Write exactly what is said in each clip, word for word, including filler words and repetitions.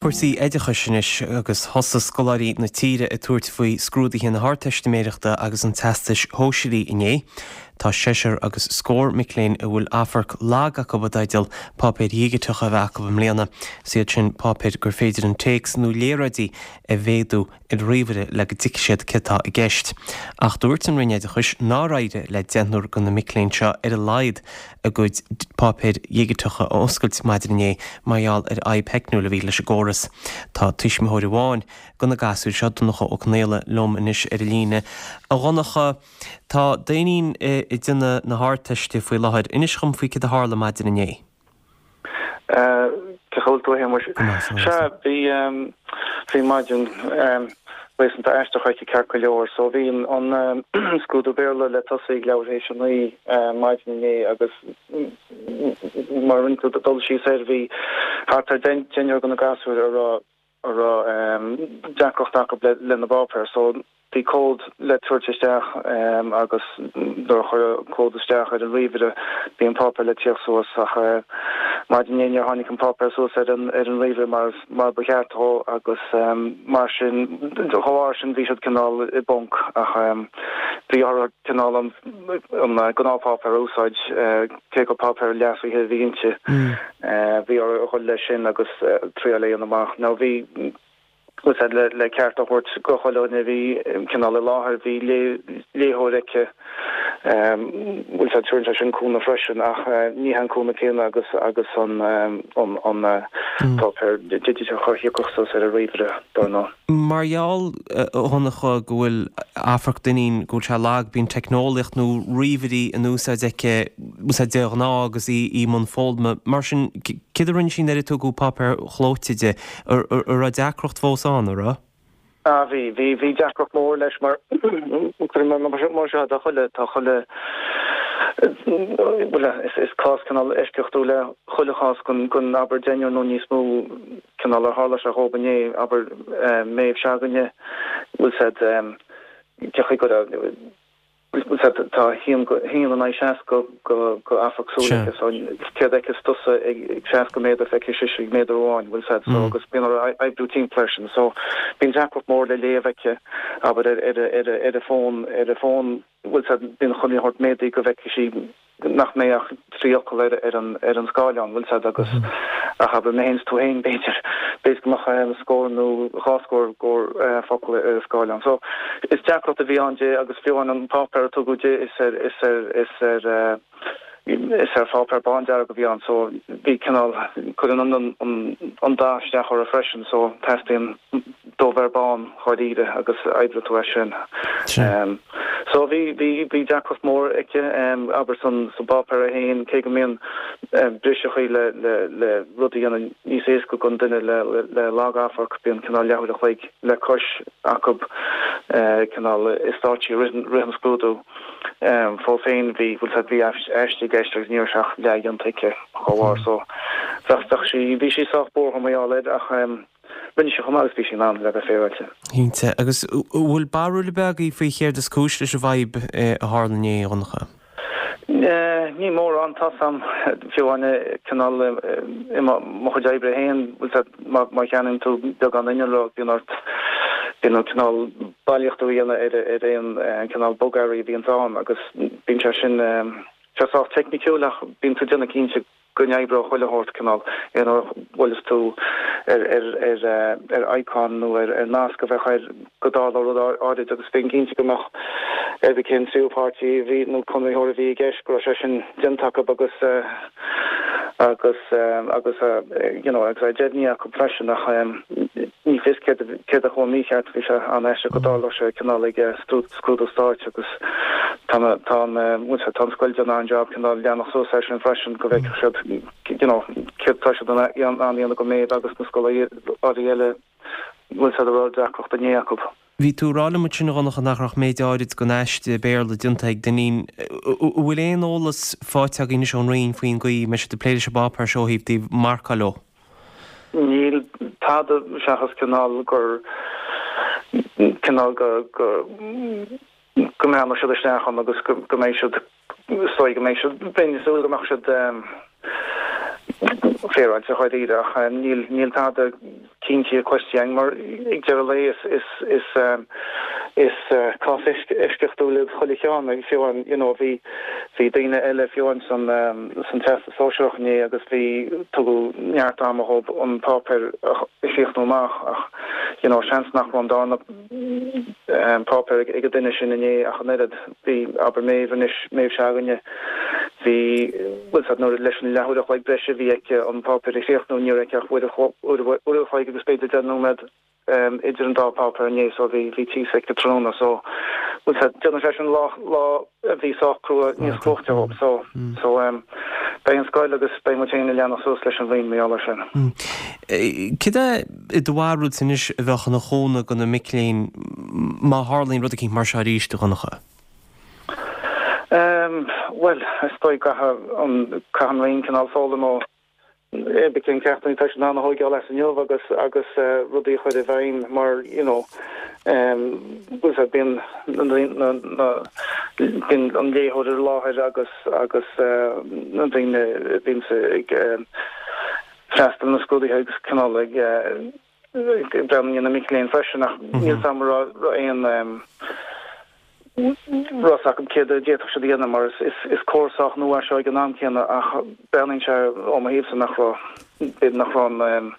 Cúrsaí oideachais anois agus thosaigh scoláirí na tíre ag tabhairt faoi scrúduithe na hArdteistiméireachta agus an Teastais Shóisearaigh inné. Tá seisear agus scór mic léinn a bhfuil amharc lag acu i dteideal páipéir dhigiteacha a bheith acu i mbliana. Is iad sin páipéir gur féidir an téacs nó léaráidí a mhéadú ar ríomhaire le go dtuigfidh siad céard atá i gceist. Ach dúirt an Roinn Oideachais nár éirigh le deichniúr de na mic léinn seo ar a laghad a gcuid páipéir dhigiteacha a oscailt maidin inné mar gheall ar fhadhb theicniúil a bhí leis an gcóras. Tá tuismitheoir amháin de na gasúir seo, Donncha Ó Conaola, liom anois ar an líne. A Dhonncha, tá d'iníon ag déanamh na hArdteiste faoi láthair. Inis dhom faoi céard a tharla maidin inné. Cén chaoi a bhfuil tú a Shéamuis? Sea, bhí bhí maidin réasúnta aisteach aici ceart go leor. So bhí an scrúdú Béarla le tosú ag leathuair théis a naoi maidin inné agus mar a rinne tú dul síos air bhí thart ar deichniúr de na gasúir a raibh a raibh deacracht acu lena bpáipéar. So bhí cód le tabhairt isteach agus nuair a chuireadh cód isteach ar an ríomhaire bhí an páipéar le tíocht suas ach maidin inné níor tháinig an páipéar suas ar an ar an ríomhaire mar mar ba cheart dó agus mar sin dá bharr sin bhí siad cineál i bponc ach bhí orthu cineál an an gnáthpháipéar a úsáid cé gur páipéar leasaithe a bhí inti. Bhí orthu a dhul leis sin agus triail a dhéanamh amach. Now bhí úsáid le le ceart a thabhairt do chuile dhuine a bhí cineál i láthair, bhí léitheoir aici, bhfuil sé tugann sé sin cúnamh freisin ach ní hé an cúnamh céanna agus agus an an an páipéar digiteach a thiocfadh suas ar an ríomhaire, dar ndóigh. Mar gheall, a Dhonncha, go bhfuil amharc d'iníon go bhfuil sé lag, bíonn teicneolaíocht nó ríomhairí in úsáid aici, úsáid de ghnáth agus í i mbun foghlama. Mar sin, céard a rinne sí nuair a tugadh páipéir chlóite di? An raibh deacracht fós ann, an raibh? Ah bhí, bhí, bhí deacracht mór leis mar mar seo tá chuile, tá chuile, bhuel is, is cás cineál eisceachtúil é chuile chás gon, gon abair deichniúr nó níos mó cineál ar tharla sé dhób inné, abair Méabh s'againne, bhfuil said cén chaoi go raibh, bhfuil said tá a haon go haon in aghaidh seasca go go amharc súl aici so céard a fheiceas tusa ag seasca méadar feicfidh sise ag méadar amháin bhfuil said so agus bíonn orthu oibriú timpeall air sin so bíonn deacracht mór le léamh aici abair ar ar ar ar a fón ar a fón bhfuil said bíonn chuile shórt méadaithe go bhfeicfidh sí nach mbeidh ach trí fhocal ar ar an ar an scáileán, bhfuil said agus ach abair mé féin is tú féin b'fhéidir b'fhéidir go mbeadh scór nó dhá scór scór focal ar an scáileán. So is deacracht a bhí ann di agus fiú amháin an páipéar a tugadh di is ar is ar is ar is ar pháipéar bándearg a bhí ann so bhí cineál cuireann an an an dath isteach orthu freisin so teastaíonn dubh ar bán dháiríre agus oibreoidh tú as sin. So bhí bhí bhí deacracht mór aici abair san sa bpáipéar é féin cé go mbíonn briseachaí le le le rud a dhéanamh níos éasca don duine le le lag-amharc bíonn cineál leathuair a chloig le cois acu cineál i stáitsí rith rith an scrúdú. Fós féin bhí bhfuil said bhí aiste i gceist agus ní raibh sé ach leathdhéanta aici dá bharr so bheadh bheadh sí bhí sí sách buartha mar gheall air ach Rinne sí chomh maith agus bhí sí in ann, le bheith féaráilte. Cinnte. Agus an bhfuil barúil ar bith agaibh faoi chéard is cúis leis an bhfadhb a tharla inné, a Dhonncha? Ní mórán, tá 's a'm, fiú amháin cineál i mo chuid oibre féin, bhfuil 's a'd, má cheannaíonn tú beagán innealra bíonn ort, bíonn ort cineál bailíochtú a dhéanamh ar ar aon cineál bogearraí a bhíonns ann agus bíonn sé sin, sé sách teicniciúil ach bíonn tú ag déanamh cinnte go n-oibreoidh chuile shórt cineál, aon uair a bhuaileas tú ar ar ar ar icon nó ar ar nasc a bheadh air go dtarlódh rud áirid agus bheinn cinnte go mbeadh ar bith cén tríú páirtí a bhí nó conraitheoir a bhí i gceist go raibh sé sin déanta acu agus agus agus you know agus é deimhnithe acu freisin ach ní fios céard céard a chuaigh mícheart bhí sé an-aisteach go dtarlódh sé cineál ag scrúdú stáit agus tá tá an bhfuil sé tá an scoil déanamh an-jab cineál leanacht suas air sin freisin go bhfeicfeadh siad you know céard atá siad in ann a dhéanamh do Méabh agus na scoláirí eile bhfuil siad a raibh deacracht inné acu. Bhí tú ag rá liom ansin a Dhonncha nach raibh ach méid áirid den aiste Béarla déanta ag d'iníon. An bhfuil aon eolas faighte agaibh anois ón Roinn faoin gcaoi a mbeidh siad ag plé leis an bpáipéar seo ó thaobh taobh marcáil leo? Níl tada seachas cineál gur cineál go go go mbreathnóidh siad isteach ann agus go go mbeidh siad is dóigh go mbeidh siad bheinn ag súil go mbeadh siad féaráilte dháiríre ach níl níl tada cinnte cloiste againn mar ag deireadh lae is is is is cás eisceachtúil iad chuile cheann ag fiú amháin you know bhí bhí daoine eile fiú amháin san san teastas sóisearach inné agus bhí tugadh neart ama dhóibh an páipéar a chríochnú amach ach you know seans nach raibh an darna páipéar ag an duine sin inné ach an oiread bhí abair Méabh anois Méabh s'againne bhí bhfuil fhios agat nuair leis an leathuair a chloig breise a bhí aici an páipéar a chríochnú ní raibh aici ach uair uair a chloig agus b'fhéidir deich nóiméad idir an dá páipéar inné so bhí bhí tíos aici tráthnóna so bhfuil fhios agat déanann sé sin lá lá a bhí sách crua níos cruaite dhóibh so so beidh an scoil agus beidh muid féin ag leanacht suas leis an bhliain mar gheall air sin. Cad é i do bharúilsa anois a bheadh ina chúnamh do na mic léinn má tharlaíonn rud eicínt mar seo arís, a Dhonncha? Bhuel, is dóigh caithfidh an caithfidh an Roinn cineál foghlaim ó b'fhéidir cén ceachtanna atá siad in ann a thógáil as inniu agus agus rudaí a chur i bhfeidhm mar you know bhfuil fhios agat bíonn na na bíonn an léitheoir ar láthair agus agus na daoine a bhíonn ag freastal na scrúduithe agus cineál ag ag breathnú ar na mic léinn freisin ach níl fhios agam raibh aon rud acu céard a d'fhéadfadh siad a dhéanamh mar is córas sách nua é seo ag an am céanna ach breathnaíonn sé ó mo thaobhsa nach raibh, b'fhéidir nach raibh an,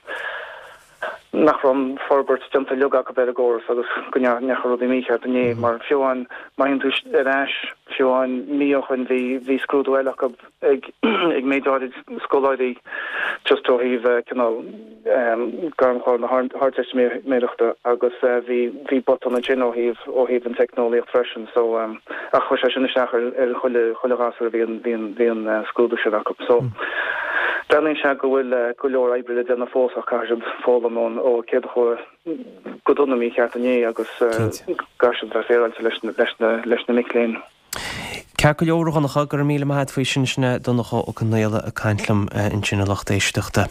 nach raibh an forbairt déanta uilig acu ar an gcóras agus go ndeachaigh rudaí mícheart inné mar fiú amháin má théann tú ar ais fiú amháin mí ó shoin bhí bhí scrúdú eile acu ag ag méid áirid scoláirí just ó thaobh cineál gairmchlár na hArdteistiméireachta agus bhí bhí botún ansin ó thaobh ó thaobh an teicneolaíocht freisin so ach chuir sé sin isteach ar ar chuile chuile ghasúr a bhí an bhí an bhí an scrúdú sin acu so breathnaíonn sé go bhfuil go leor oibre le déanamh fós ach caithfidh siad foghlaim ón ó céard a chuaigh go dona mícheart inné agus caithfidh siad bheith féaráilte leis na leis na leis na mic léinn. Ceart go leor a Dhonncha, go raibh míle maith agat faoi sin, sin é Donncha Ó Conaola ag caint liom ansin a lucht éisteachta.